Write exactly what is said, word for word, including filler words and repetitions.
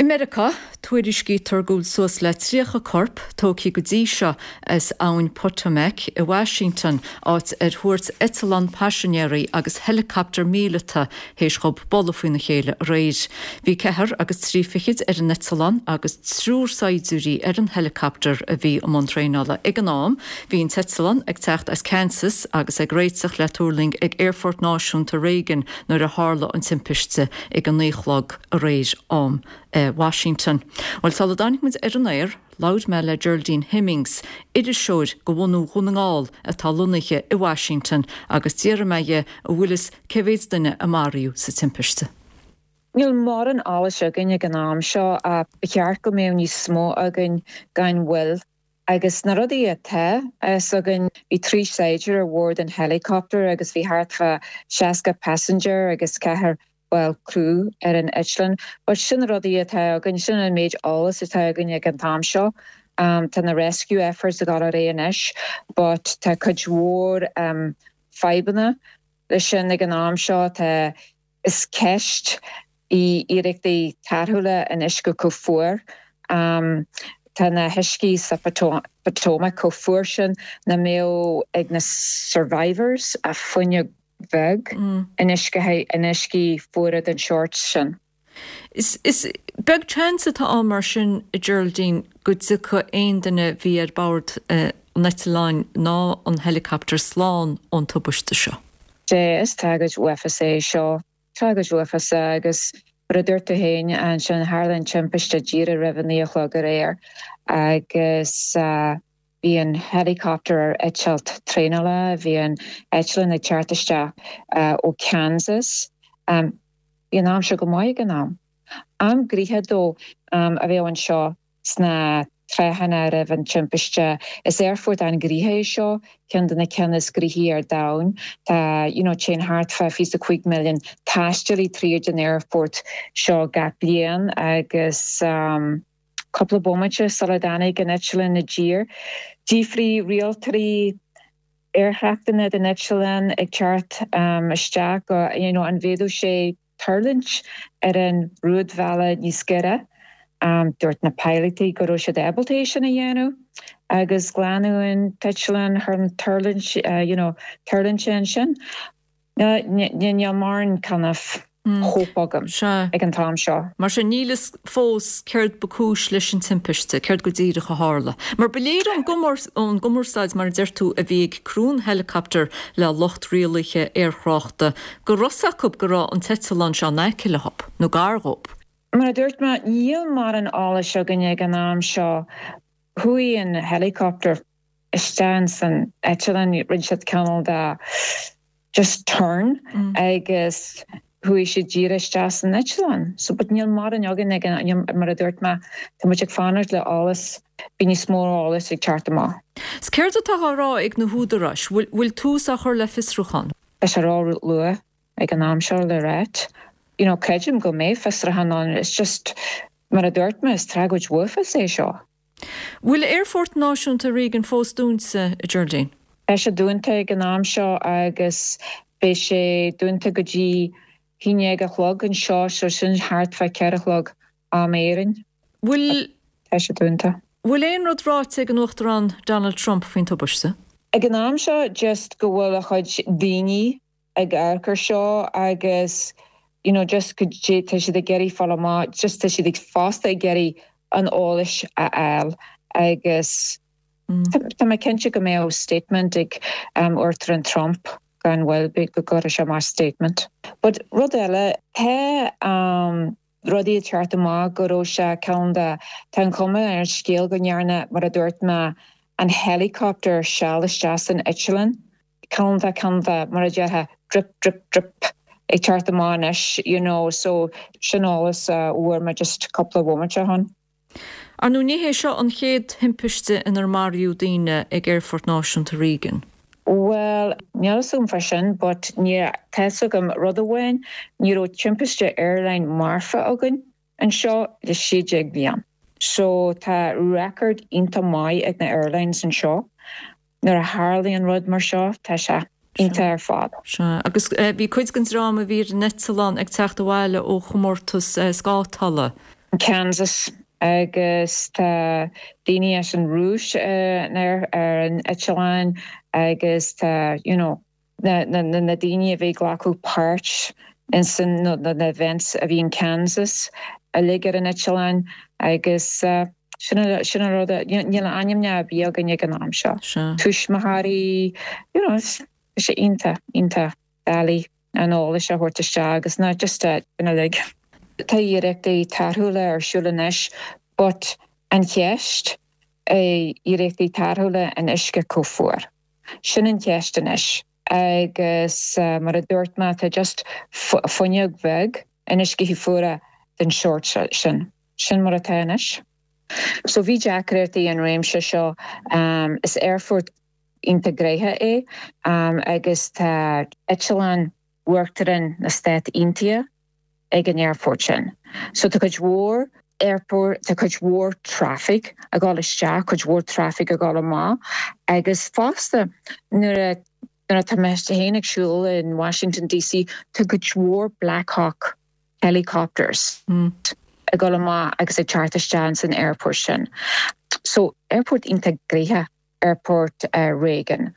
I Meiriceá, tuairiscítear go bhfuil suas le tríocha corp tógtha go dtí seo as abhainn Potomac i Washington, áit ar thuairt eitleán paisinéirí agus helicopter míleata théis dhóibh bualadh faoina chéile aréir. Bhí ceathair agus trí fichid ar an eitleán agus triúr saighdiúirí ar an helicopter a bhí i mbun traenála ag an am. Bhí an t-eitleán ag teacht as Kansas agus ag réiteach le tuirling ag Aerfort Náisiúnta Reagan nuair a tharla an timpiste ag a naoi a chlog aréir am eh, Washington. Well sula dtáinig muid ar an aer, labhair mé le Geraldine Hemmings, iriseoir de bhunadh Dhún na nGall atá lonnaithe i Washington agus d'iarr mé uirthi an bhfuil fhios cé mhéad duine a maraíodh sa timpiste. Níl mórán eolais againn ag an am seo a cheart go mbeadh níos mó againn gan mhoill. Agus na rudaí atá is againn bhí trí saighdiúir ar bhord an helicopter agus bhí thart fá seasca passenger agus ceathrar ball crew ar an eitleán, but sin rudaí atá againn sin an méid eolas atá againn ag an t-am seo. Um, tá na rescue efforts ag dul ar aghaidh anois, but tá cuid mhór um, fadhbanna leis sin ag an am seo tá is ceist í iarrachtaí tarrthála in uisce chomh fuar. Um, tá na huiscí sa Potomac chomh fuar sin nach mbeadh ag na survivors ach fuinneog bheag mm. in uisce in uiscí fuara den sórt sin. Is, is beag chance atá ann mar sin a Geraldine go dtiocfadh aon duine a bhí ar bord uh, an eitleáin ná an helicopter slán ón tubaiste seo. Dé is tragóid uafásach é seo tragóid uafásach agus mar a dúirt tú féin ansin tharla an timpiste díreach roimh a naoi a chlog aréir agus uh, bhí an helicopter ar eitilt traenála, bhí an eitleán ag teacht isteach uh, ó Kansas. Um, bhí an aimsir go maith ag an am. Am gnoitheach dó um, a bheith anseo sna tráthanna roimh an timpiste. Is aerfort an-ghnoitheach é seo ceann de na cinn is gnóthaí ar domhan Tá you know, téann thart fá fiche cúig milliún taistealaí tríd an aerfort seo gach bliain agus um, cúpla bomaite sula dtáinig an eitleán i dtír. D'fhiafraigh rialtóirí aerthráchta den eitleán ag teacht um, isteach go you know, an bhféadfadh sé tuirlingt ar an rúidbhealach níos giorra. Um, dúirt na pilotaí go raibh siad ábalta sin a dhéanamh agus glanadh an t-eitleán thar an tuirlingt uh, you know, tuirlingt sin. Níl mórán kind of mm. hope agam ag an t-am seo. Mar sin níl fhios fós céard ba chúis leis an timpiste, céard go díreach a tharla. Mar ba léir ón gcumarsáid mar deir tú a bhí ag criú an helicopter le lucht rialaithe aerthráchta, go raibh fhios acu go raibh an t-eitleán seo in aice leo, nó gar dóibh. Mar a dúirt mé níl mórán eolais againn ag an am seo chuaigh an helicopter isteach san eitleán rinne siad cineál de just turn mm. agus chuaigh sé díreach isteach san eitleán. So but níl mórán againn ag mar a dúirt mé tá muid ag fanacht le eolas bhí níos mó eolas ag teacht amach. 'S céard atá á rá ag na húdaráis, bhfuil tús á chur le fiosrúchán? Tá sé ró-luath ag an am seo le rá. You know, creidim go mbeidh fiosrúchán ann it's just mar a dúirt mé is tragóid uafásach é seo. Bhfuil Aerfort Náisiúnta Reagan fós dúnta a Geraldine? Tá sé dúnta ag an am seo agus beidh sé dúnta go dtí a haon déag a chlog anseo so sin thart fá ceithre a chlog am Éireann. Bhfuil Tá sé dúnta. Bhfuil aon rud ráite ag an Uachtarán Donald Trump faoin tubaiste? Ag an am seo just go bhfuil a chuid daoine ag amharc air seo agus you know, just go tá siad ag iarraidh fáil amach just tá siad ag fosta ag iarraidh an eolais a fháil agus mm. Tá mé cinnte go mbeidh statement ag um, Uachtarán Trump gan mhoill go gcuirfidh sé amach statement. But rud eile tá um, rudaí teacht amach go raibh sé ceann de tá an chuma ar an scéal go ndearna mar a dúirt mé an helicopter seal isteach san eitleán ceann de ceann de mar a déarfá drip drip drip ag teacht amach anois you know so sin eolas uh, fuair mé just cúpla bomaite ó shin. Ar ndóigh ní hé seo an chéad thimpiste inar maraíodh daoine ag Aerfort Náisiúnta Reagan. Well, níl fhios agam fá sin, but ní tá agam rud amháin ní raibh timpiste airline marfa againn anseo le sé déag bliain. So tá record iontach maith ag na airlines anseo. Nuair a tharlaíonn rud mar seo tá sé iontach ar fad. Sea agus eh, bhí cuid den dream a bhí ar an eitleán ag teacht abhaile ó chomórtas eh, scátála. Kansas agus tá daoine as an Rúis uh, ar ar an eitleán agus tá you know, na, na, na, na daoine a bhí glacadh páirt in san no, na, na events a bhí in Kansas uilig ar an eitleán agus uh, sin sin an rud níl ainmneacha ar bith againn ag an am seo. Tuismitheoirí you know, sé iontach iontach doiligh an eolas a thabhairt isteach agus na just uilig. Tá iarrachtaí tarrthála ar siúl anois, but an cheist é iarrachtaí tarrthála in uisce chomh fuar. Sin an cheist anois agus uh, mar a dúirt mé tá just fuinneog bheag in uisce fuar den sórt sin sin mar atá anois. So bhí deacrachtaí an réimse seo um, is aerfort iontach gnóthach é um, agus tá eitleán Uachtarán na Stát Aontaithe ag an aerfort sin. So tá cuid mhór airport tá cuid mhór traffic ag dul isteach cuid mhór traffic ag dul amach agus fosta nuair nuair atá mé féin ag siúl in Washington DC tá cuid mhór Blackhawk helicopters mm. ag dul amach agus ag teacht isteach san airport sin. So airport iontach gnóthach airport uh, Reagan.